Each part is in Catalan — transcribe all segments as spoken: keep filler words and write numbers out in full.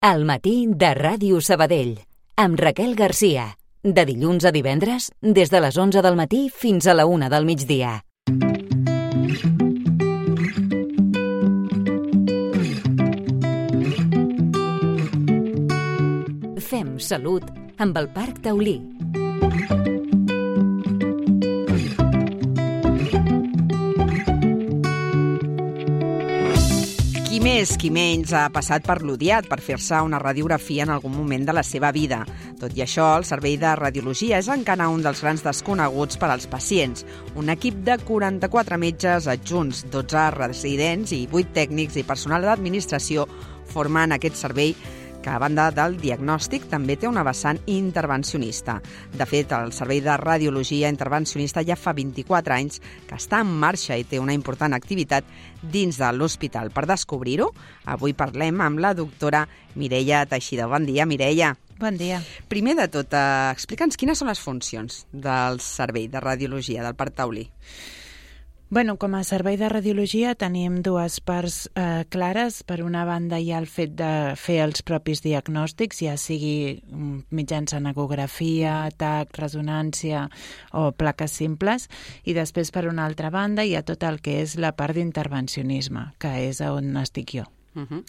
Al matí de Ràdio Sabadell, amb Raquel Garcia. De dilluns a divendres, des de les onze del matí fins a la una del migdia. Fem salut amb el Parc Taulí. Qui més, qui menys ha passat per l'Udiat per fer-se una radiografia en algun moment de la seva vida. Tot i això, el servei de radiologia és encara un dels grans desconeguts per als pacients. Un equip de quaranta-quatre metges adjunts, dotze residents i vuit tècnics i personal d'administració formen aquest servei que, a banda del diagnòstic, també té una vessant intervencionista. De fet, el Servei de Radiologia Intervencionista ja fa vint-i-quatre anys que està en marxa i té una important activitat dins de l'hospital. Per descobrir-ho, avui parlem amb la doctora Mireia Teixidor. Bon dia, Mireia. Bon dia. Primer de tot, eh, explica'ns quines són les funcions del Servei de Radiologia del Parc Taulí. Bueno, com a servei de radiologia tenim dues parts eh, clares. Per una banda hi ha el fet de fer els propis diagnòstics, ja sigui mitjançant ecografia, tac, resonància o plaques simples, i després per una altra banda hi ha tot el que és la part d'intervencionisme, que és on estic jo. Uh-huh.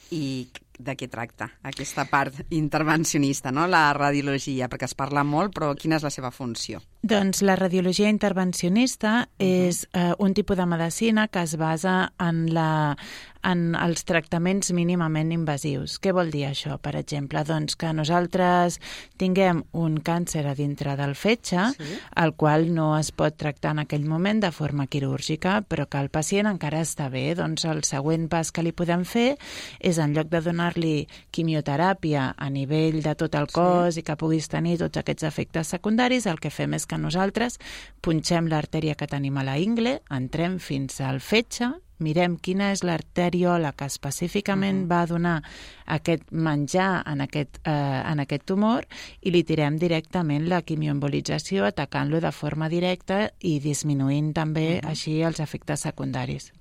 I de què tracta aquesta part intervencionista, no? La radiologia, perquè es parla molt, però quina és la seva funció? Doncs la radiologia intervencionista uh-huh. és eh, un tipus de medicina que es basa en, la, en els tractaments mínimament invasius. Què vol dir això, per exemple? Doncs que nosaltres tinguem un càncer a dintre del fetge, sí. el qual no es pot tractar en aquell moment de forma quirúrgica, però que el pacient encara està bé. Doncs el següent pas que li podem fer és, en lloc de donar-li quimioteràpia a nivell de tot el cos sí. i que puguis tenir tots aquests efectes secundaris, el que fem és que nosaltres punxem l'artèria que tenim a la ingle, entrem fins al fetge, mirem quina és l'arteriola que específicament uh-huh. va donar aquest menjar en aquest, eh, en aquest tumor i li tirem directament la quimioembolització, atacant-lo de forma directa i disminuint també uh-huh. així els efectes secundaris.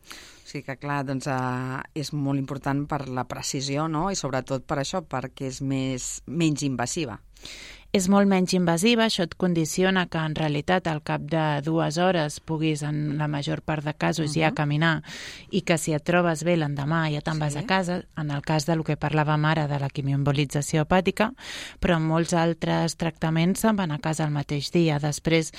Sí que, clar, doncs eh, és molt important per la precisió, no? I sobretot per això, perquè és més, menys invasiva. És molt menys invasiva, això et condiciona que en realitat al cap de dues hores puguis en la major part de casos uh-huh. ja caminar i que si et trobes bé l'endemà ja te'n sí. vas a casa, en el cas del que parlàvem ara de la quimioembolització hepàtica, però en molts altres tractaments se'n van a casa el mateix dia. Després,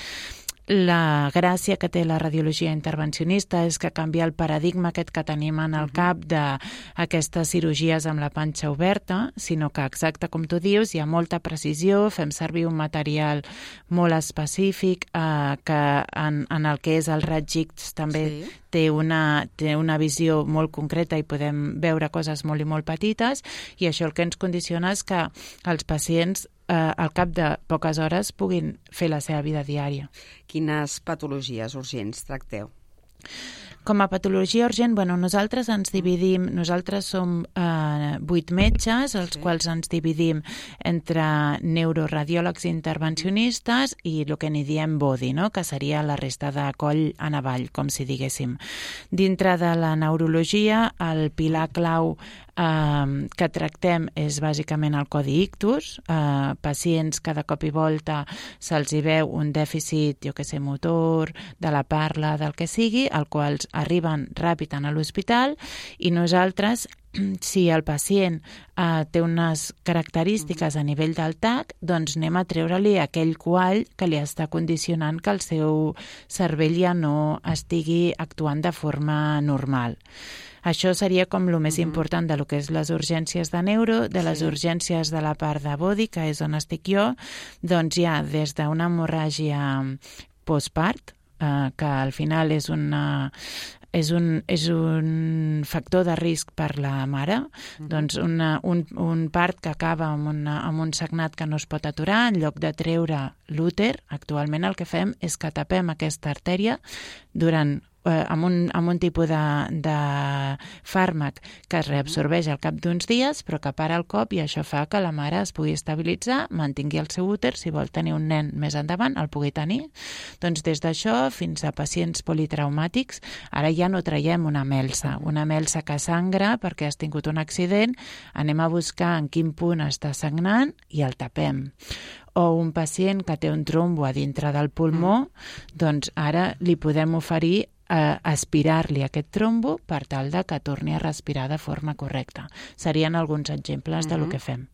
la gràcia que té la radiologia intervencionista és que canvia el paradigma aquest que tenim en el cap d'aquestes cirurgies amb la panxa oberta, sinó que, exacte com tu dius, hi ha molta precisió, fem servir un material molt específic eh, que en, en el que és el raig X també sí. té, una, té una visió molt concreta i podem veure coses molt i molt petites, i això el que ens condiciona és que els pacients Eh, al cap de poques hores puguin fer la seva vida diària. Quines patologies urgents tracteu? Com a patologia urgent, bueno, nosaltres ens dividim, nosaltres som eh, vuit metges, els sí. quals ens dividim entre neuroradiòlegs intervencionistes i el que n'hi diem body, no? Que seria la resta de coll en avall, com si diguéssim. Dintre de la neurologia, el pilar clau eh, que tractem és bàsicament el codi ictus. Eh, pacients que de cop i volta se'ls hi veu un dèficit, jo que sé, motor, de la parla, del que sigui, el qual arriben ràpid a l'hospital, i nosaltres, si el pacient eh, té unes característiques a nivell del tac, doncs anem a treure-li aquell quall que li està condicionant que el seu cervell ja no estigui actuant de forma normal. Això seria com el més important de lo que és les urgències de neuro. De les sí. urgències de la part de body, que és on estic jo, doncs hi ha des d'una hemorràgia postpart, eh, que al final és una... És un, és un factor de risc per la mare, uh-huh. doncs una, un, un part que acaba amb, una, amb un sagnat que no es pot aturar. En lloc de treure l'úter, actualment el que fem és que tapem aquesta artèria durant eh, amb, un, amb un tipus de, de fàrmac que es reabsorbeix al cap d'uns dies, però que para el cop, i això fa que la mare es pugui estabilitzar, mantingui el seu úter, si vol tenir un nen més endavant, el pugui tenir. Doncs des d'això fins a pacients politraumàtics, ara ja no traiem una melsa, una melsa que sangra perquè has tingut un accident, anem a buscar en quin punt està sagnant i el tapem. O un pacient que té un trombo a dintre del pulmó, doncs ara li podem oferir eh, aspirar-li aquest trombo per tal de que torni a respirar de forma correcta. Serien alguns exemples mm-hmm. de lo que fem.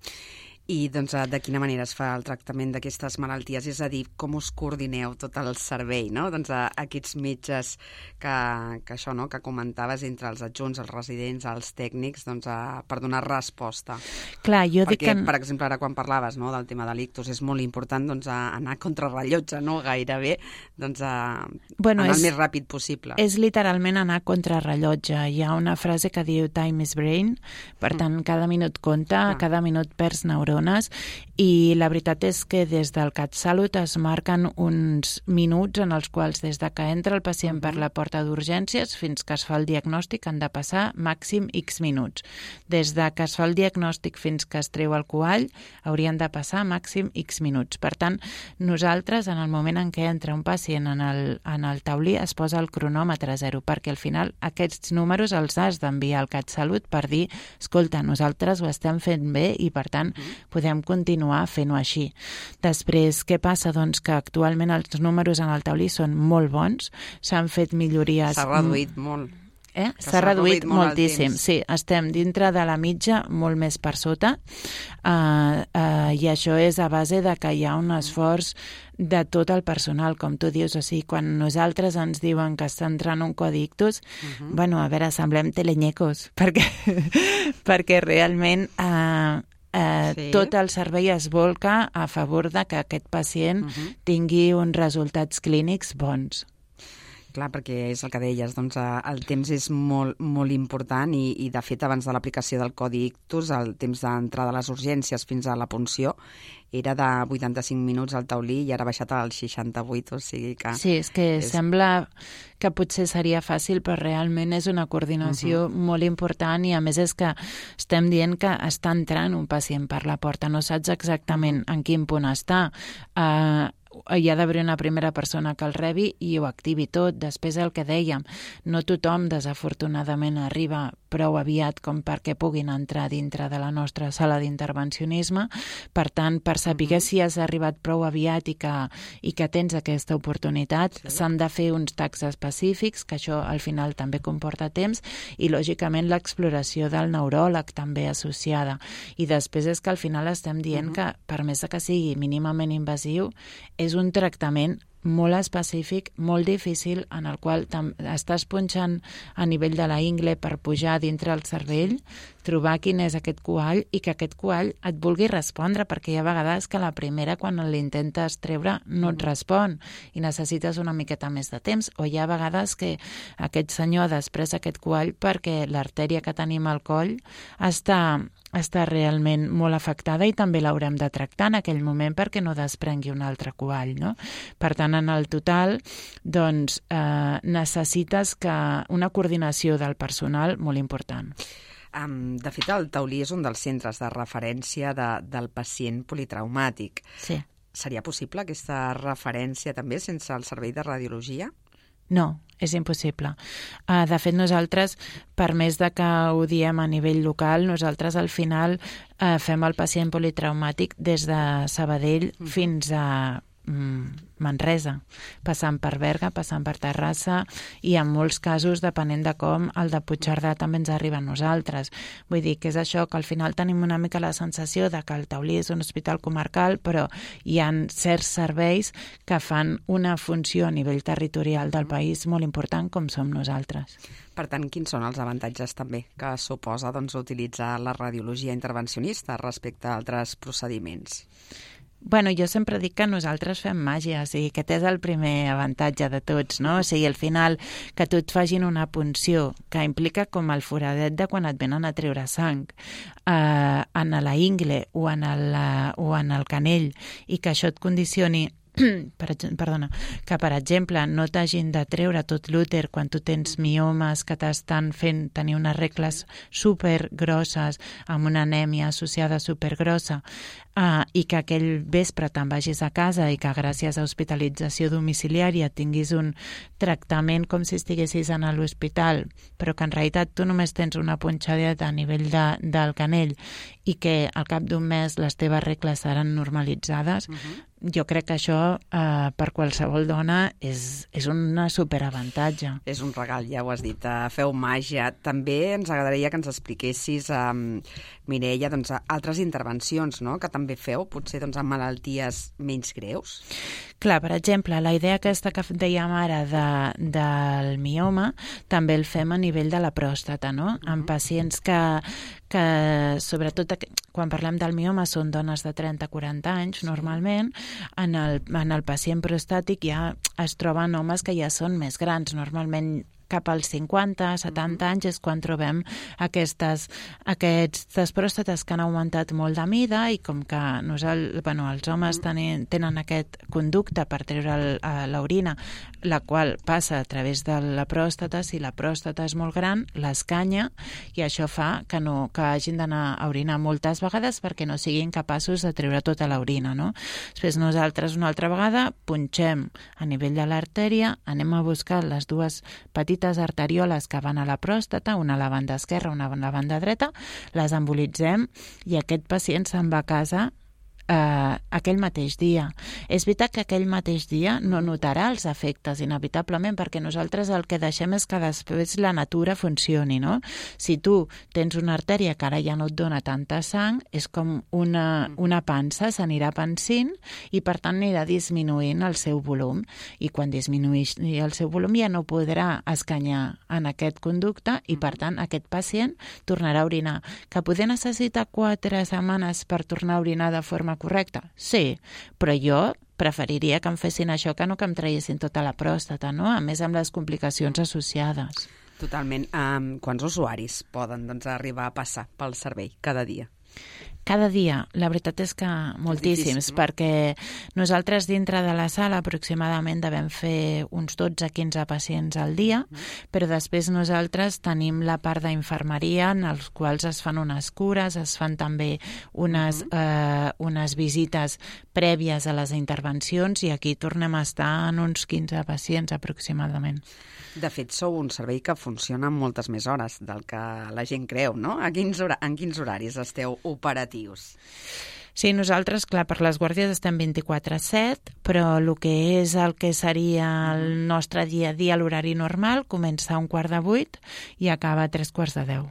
I doncs, de quina manera es fa el tractament d'aquestes malalties? És a dir, com us coordineu tot el servei, no? Doncs a, a aquests metges que, que això, no?, que comentaves entre els adjunts, els residents, els tècnics, doncs a, per donar resposta. Clar, jo Perquè, dic que... per exemple, ara quan parlaves, no?, del tema de l'ictus, és molt important doncs, a anar contra rellotge, no?, gairebé, doncs a bueno, anar és, el més ràpid possible. És literalment anar contra rellotge. Hi ha una frase que diu time is brain, per tant, cada minut compta, ah. cada minut perds neurones, i la veritat és que des del CatSalut es marquen uns minuts en els quals des de que entra el pacient uh-huh. per la porta d'urgències fins que es fa el diagnòstic han de passar màxim X minuts. Des de que es fa el diagnòstic fins que es treu el coall haurien de passar màxim X minuts. Per tant, nosaltres en el moment en què entra un pacient en el, en el taulí es posa el cronòmetre a zero, perquè al final aquests números els has d'enviar al CatSalut per dir, escolta, nosaltres ho estem fent bé i per tant uh-huh. podem continuar fent-ho així. Després, què passa? Doncs que actualment els números en el taulí són molt bons, s'han fet millories... S'ha reduït molt. Eh? S'ha reduït, reduït moltíssim. Sí, estem dintre de la mitja, molt més per sota, uh, uh, i això és a base de que hi ha un esforç de tot el personal, com tu dius. O sigui, quan nosaltres ens diuen que està entrant un codi ictus, uh-huh. bueno, a veure, semblem telenyecos, perquè, perquè realment... Uh, Eh, sí. tot el servei es volca a favor de que aquest pacient uh-huh. tingui uns resultats clínics bons. Clar, perquè és el que deies, doncs el temps és molt, molt important i, i de fet abans de l'aplicació del codi ictus el temps d'entrada a les urgències fins a la punció era de vuitanta-cinc minuts al taulí i ara ha baixat als seixanta-vuit, o sigui que... Sí, és que és... sembla que potser seria fàcil, però realment és una coordinació uh-huh. molt important i a més és que estem dient que està entrant un pacient per la porta, no saps exactament en quin punt està. Uh, hi ha d'haver una primera persona que el rebi i ho activi tot. Després el que dèiem, no tothom desafortunadament arriba prou aviat com perquè puguin entrar dintre de la nostra sala d'intervencionisme. Per tant, per saber uh-huh. si has arribat prou aviat i que, i que tens aquesta oportunitat, sí. s'han de fer uns tags específics, que això al final també comporta temps, i lògicament l'exploració del neuròleg també associada. I després és que al final estem dient uh-huh. que, per més que sigui mínimament invasiu, és un tractament molt específic, molt difícil, en el qual estàs punxant a nivell de la ingle per pujar dintre el cervell, trobar quin és aquest coall i que aquest coall et vulgui respondre, perquè hi ha vegades que la primera, quan l'intentes treure, no et respon i necessites una miqueta més de temps, o hi ha vegades que aquest senyor ha després aquest coall perquè l'artèria que tenim al coll està... està realment molt afectada i també l'haurem de tractar en aquell moment perquè no desprengui un altre coall, no? Per tant, en el total, doncs, eh, necessites que una coordinació del personal molt important. Um, de fet, el taulí és un dels centres de referència de, del pacient politraumàtic. Sí. Seria possible aquesta referència també sense el servei de radiologia? No, és impossible. Uh, de fet, nosaltres, per més de que ho diem a nivell local, nosaltres al final uh, fem el pacient politraumàtic des de Sabadell mm. fins a mm, Manresa, passant per Berga, passant per Terrassa, i en molts casos, depenent de com, el de Puigcerdà també ens arriba a nosaltres. Vull dir que és això, que al final tenim una mica la sensació de que el Taulí és un hospital comarcal, però hi ha certs serveis que fan una funció a nivell territorial del país molt important, com som nosaltres. Per tant, quins són els avantatges també que suposa doncs, utilitzar la radiologia intervencionista respecte a altres procediments? Bueno, jo sempre dic que nosaltres fem màgia, o sigui, aquest és el primer avantatge de tots, no? O sigui, al final, que tu et facin una punció que implica com el foradet de quan et venen a treure sang eh, en la ingle o en el, o en el canell, i que això et condicioni per, perdona, que per exemple no t'hagin de treure tot l'úter quan tu tens miomes que t'estan fent tenir unes regles supergrosses amb una anèmia associada supergrossa, uh, i que aquell vespre te'n vagis a casa i que gràcies a hospitalització domiciliària tinguis un tractament com si estiguessis en l'hospital, però que en realitat tu només tens una punxadeta a nivell de, del canell i que al cap d'un mes les teves regles seran normalitzades, uh-huh. Jo crec que això eh, per qualsevol dona és, és un superavantatge. És un regal, ja ho has dit. Uh, feu màgia. També ens agradaria que ens expliquessis, um, Mireia, doncs, altres intervencions, no?, que també feu, potser doncs, amb malalties menys greus. Clar, per exemple, la idea aquesta que dèiem ara de, del mioma també el fem a nivell de la pròstata, no? Uh-huh. En pacients que, que sobretot quan parlem del mioma són dones de trenta a quaranta anys, normalment, en el, en el pacient prostàtic ja es troben homes que ja són més grans, normalment cap als cinquanta, setanta anys és quan trobem aquestes, aquestes pròstates que han augmentat molt de mida i com que nosaltres, bueno, els homes tenen, tenen aquest conducte per treure l'orina, la qual passa a través de la pròstata. Si la pròstata és molt gran, l'escanya i això fa que, no, que hagin d'anar a orinar moltes vegades perquè no siguin capaços de treure tota l'orina, no? Després nosaltres una altra vegada punxem a nivell de l'artèria, anem a buscar les dues petites arterioles que van a la pròstata, una a la banda esquerra, una a la banda dreta, les embolitzem i aquest pacient se'n va a casa eh, aquell mateix dia. És veritat que aquell mateix dia no notarà els efectes inevitablement perquè nosaltres el que deixem és que després la natura funcioni, no? Si tu tens una artèria que ara ja no et dona tanta sang, és com una, una pansa, s'anirà pansint i per tant anirà disminuint el seu volum i quan disminueix el seu volum ja no podrà escanyar en aquest conducte i per tant aquest pacient tornarà a orinar. Que poder necessita quatre setmanes per tornar a orinar de forma correcta? Sí, però jo preferiria que em fessin això que no que em traiessin tota la pròstata, no? A més amb les complicacions associades. Totalment. Um, quants usuaris poden doncs, arribar a passar pel servei cada dia? Cada dia, la veritat és que moltíssims, difícil, no? Perquè nosaltres dintre de la sala aproximadament devem fer uns dotze a quinze pacients al dia, mm. però després nosaltres tenim la part d'infermeria en els quals es fan unes cures, es fan també unes, mm. eh, unes visites prèvies a les intervencions i aquí tornem a estar en uns quinze pacients aproximadament. De fet, sou un servei que funciona en moltes més hores del que la gent creu, no? A quins hora- en quins horaris esteu operatius? Sí, nosaltres, clar, per les guàrdies estem vint-i-quatre set, però el que és el que seria el nostre dia a dia, l'horari normal, comença a un quart de vuit i acaba a tres quarts de deu.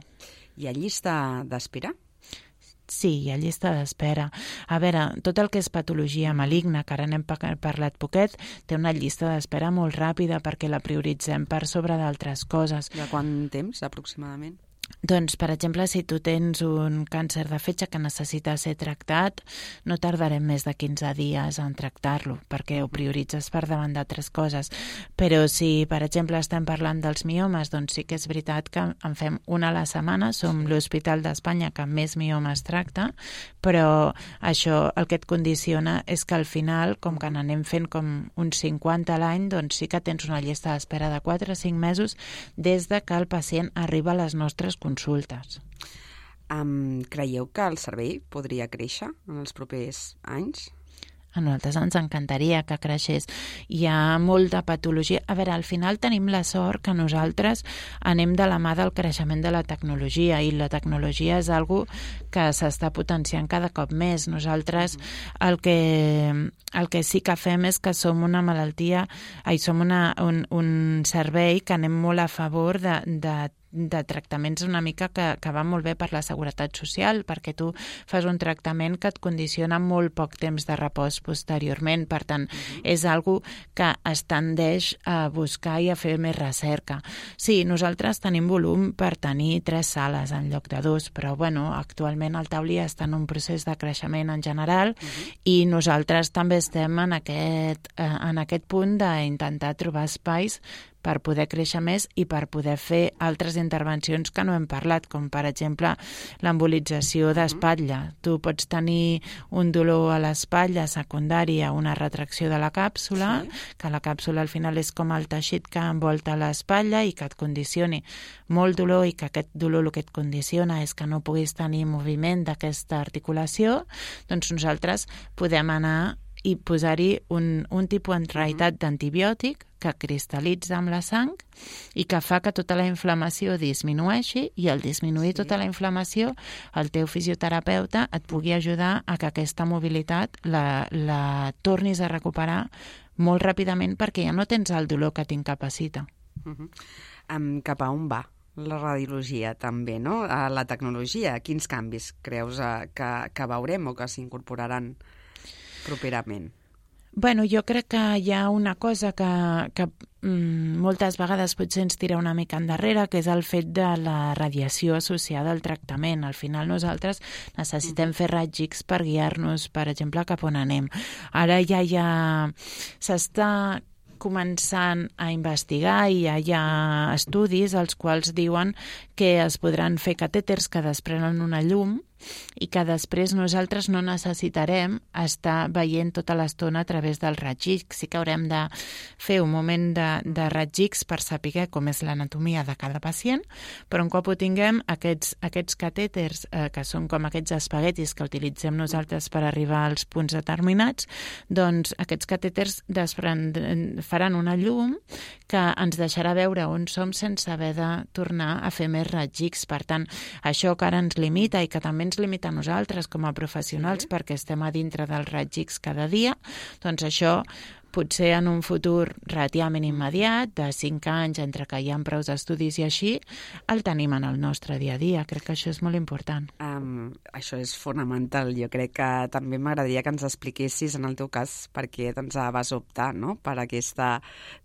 Hi ha llista d'espera? Sí, hi ha llista d'espera. A veure, tot el que és patologia maligna, que ara n'hem parlat poquet, té una llista d'espera molt ràpida perquè la prioritzem per sobre d'altres coses. De quant temps, aproximadament? Doncs, per exemple, si tu tens un càncer de fetge que necessita ser tractat, no tardarem més de quinze dies en tractar-lo, perquè ho prioritzes per davant d'altres coses. Però si, per exemple, estem parlant dels miomes, doncs sí que és veritat que en fem una a la setmana, som l'Hospital d'Espanya que més miomes tracta, però això el que et condiciona és que al final, com que n'anem fent com uns cinquanta a l'any, doncs sí que tens una llista d'espera de quatre a cinc mesos des de que el pacient arriba a les nostres consultes. Um, creieu que el servei podria créixer en els propers anys? A nosaltres ens encantaria que creixés. Hi ha molta patologia. A veure, al final tenim la sort que nosaltres anem de la mà del creixement de la tecnologia i la tecnologia és algo que s'està potenciant cada cop més. Nosaltres el que, el que sí que fem és que som una malaltia, ai, som una, un, un servei que anem molt a favor de, de de tractaments una mica que, que va molt bé per la seguretat social, perquè tu fas un tractament que et condiciona molt poc temps de repòs posteriorment. Per tant, uh-huh. és algo que es tendeix a buscar i a fer més recerca. Sí, nosaltres tenim volum per tenir tres sales en lloc de dos, però bueno, actualment el Taulí està en un procés de creixement en general uh-huh. i nosaltres també estem en aquest, eh, en aquest punt d'intentar trobar espais per poder créixer més i per poder fer altres intervencions que no hem parlat, com per exemple l'embolització d'espatlla. Tu pots tenir un dolor a l'espatlla secundari a una retracció de la càpsula, sí. que la càpsula al final és com el teixit que envolta l'espatlla i que et condicioni molt dolor i que aquest dolor el que et condiciona és que no puguis tenir moviment d'aquesta articulació, doncs nosaltres podem anar i posar-hi un, un tipus en realitat d'antibiòtic que cristal·litza amb la sang i que fa que tota la inflamació disminueixi i al disminuir sí. tota la inflamació el teu fisioterapeuta et pugui ajudar a que aquesta mobilitat la, la tornis a recuperar molt ràpidament perquè ja no tens el dolor que t'incapacita. Uh-huh. Um, cap a on va la radiologia també, no? A la tecnologia, quins canvis creus uh, que, que veurem o que s'incorporaran properament? Bueno, jo crec que hi ha una cosa que, que mm, moltes vegades potser ens tira una mica endarrere, que és el fet de la radiació associada al tractament. Al final nosaltres necessitem fer raigs X per guiar-nos, per exemple, cap on anem. Ara ja hi ha... s'està començant a investigar i ja hi ha estudis als quals diuen que es podran fer catèters que desprenen una llum i que després nosaltres no necessitarem estar veient tota l'estona a través del raig X. Sí que haurem de fer un moment de, de raig X per saber com és l'anatomia de cada pacient, però un cop ho tinguem, aquests, aquests catèters, eh, que són com aquests espaguetis que utilitzem nosaltres per arribar als punts determinats, doncs aquests catèters desprend... faran una llum que ens deixarà veure on som sense haver de tornar a fer més raig X. Per tant, això que ara ens limita i que també ens limita a nosaltres com a professionals sí. perquè estem a dintre del raig X cada dia, doncs això potser en un futur relativament immediat, de cinc anys, entre que hi ha prou estudis i així, el tenim en el nostre dia a dia. Crec que això és molt important. Um, això és fonamental. Jo crec que també m'agradaria que ens expliquessis, en el teu cas, per què doncs, vas optar no? per aquesta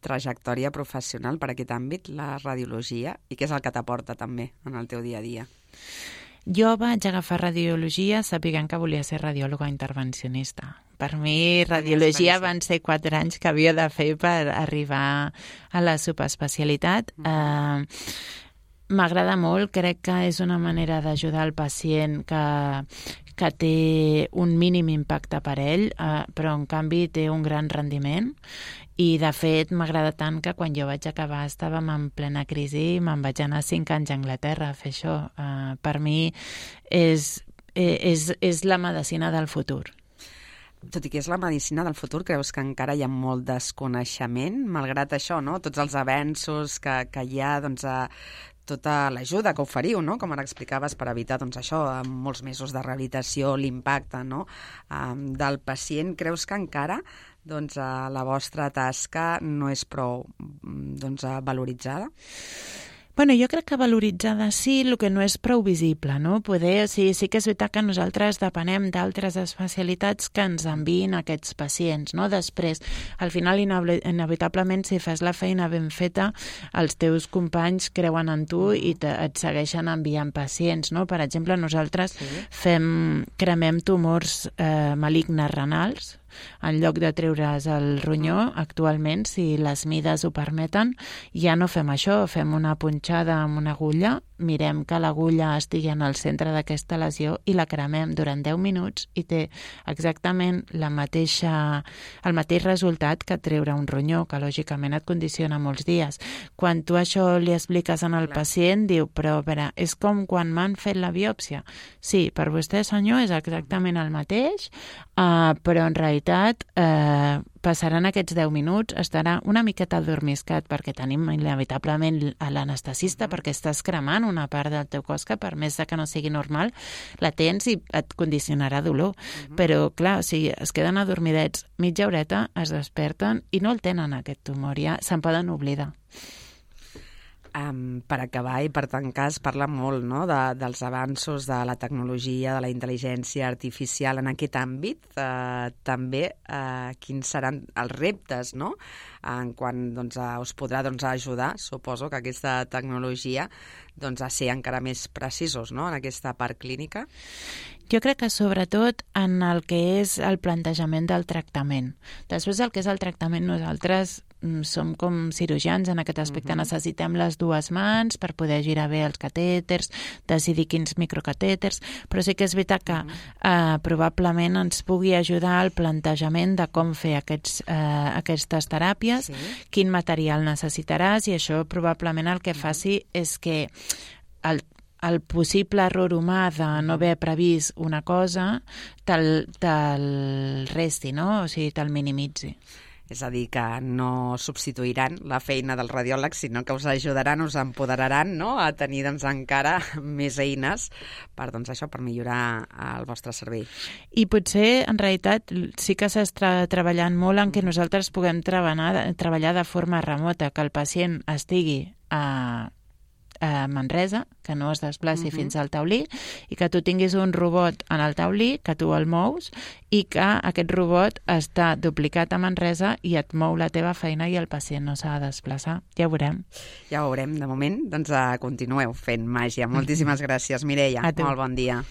trajectòria professional, per aquest àmbit, la radiologia, i què és el que t'aporta també en el teu dia a dia. Jo vaig agafar radiologia sapiguent que volia ser radiòloga intervencionista. Per mi, radiologia van ser quatre anys que havia de fer per arribar a la subespecialitat. Uh, M'agrada molt, crec que és una manera d'ajudar el pacient que, que té un mínim impacte per ell, uh, però en canvi té un gran rendiment. I, de fet, m'agrada tant que quan jo vaig acabar estàvem en plena crisi i me'n vaig anar cinc anys a Anglaterra a fer això. Uh, per mi és, és, és la medicina del futur. Tot i que és la medicina del futur, creus que encara hi ha molt desconeixement, malgrat això, no? Tots els avenços que, que hi ha, doncs, a tota l'ajuda que oferiu, no? Com ara explicaves, per evitar doncs, això, molts mesos de rehabilitació, l'impacte no? um, del pacient. Creus que encara doncs, la vostra tasca no és prou doncs, valoritzada? Bueno, jo crec que valoritzada sí, el que no és prou visible, no? Poder, sí, sí que és veritat que nosaltres depenem d'altres especialitats que ens enviïn aquests pacients, no? Després, al final, inevitablement, si fas la feina ben feta, els teus companys creuen en tu i te, et segueixen enviant pacients, no? Per exemple, nosaltres sí. fem, cremem tumors eh, malignes renals, en lloc de treure's el ronyó, actualment, si les mides ho permeten, ja no fem això, fem una punxada amb una agulla, mirem que l'agulla estigui en el centre d'aquesta lesió i la cremem durant deu minuts i té exactament la mateixa, el mateix resultat que treure un ronyó, que lògicament et condiciona molts dies. Quan tu això li expliques en el pacient, diu, però a veure, és com quan m'han fet la biòpsia. Sí, per vostè, senyor, és exactament el mateix, uh, però en realitat eh, passaran aquests deu minuts, estarà una miqueta adormiscat perquè tenim inevitablement l'anestesista perquè estàs cremant una part del teu cos que per més que no sigui normal la tens i et condicionarà dolor. Uh-huh. Però clar, si es queden adormidets mitja horeta, es desperten i no el tenen aquest tumor, ja se'n poden oblidar. Um, per acabar i per tancar, es parla molt no? de, dels avanços de la tecnologia, de la intel·ligència artificial en aquest àmbit. Uh, també uh, quins seran els reptes, no? En quan doncs, uh, us podrà doncs, ajudar, suposo que aquesta tecnologia doncs, a ser encara més precisos no? En aquesta part clínica. Jo crec que sobretot en el que és el plantejament del tractament. Després el que és el tractament nosaltres som com cirurgians en aquest aspecte. Uh-huh. Necessitem les dues mans per poder girar bé els catèters, decidir quins microcatèters, però sí que és veritat que uh-huh. eh, probablement ens pugui ajudar el plantejament de com fer aquests, eh, aquestes teràpies, sí. quin material necessitaràs, i això probablement el que uh-huh. faci és que el el possible error humà de no haver previst una cosa te'l, te'l resti, no? O sigui, te'l minimitzi. És a dir, que no substituiran la feina dels radiòlegs, sinó que us ajudaran, us empoderaran, no?, a tenir doncs, encara més eines per, doncs, això, per millorar el vostre servei. I potser, en realitat, sí que s'està treballant molt en què nosaltres puguem treballar, treballar de forma remota, que el pacient estigui a a Manresa, que no es desplaci uh-huh. fins al taulí, i que tu tinguis un robot en el taulí, que tu el mous, i que aquest robot està duplicat a Manresa i et mou la teva feina i el pacient no s'ha de desplaçar. Ja ho veurem. Ja ho veurem. De moment, doncs, continueu fent màgia. Moltíssimes gràcies, Mireia. Molt bon dia.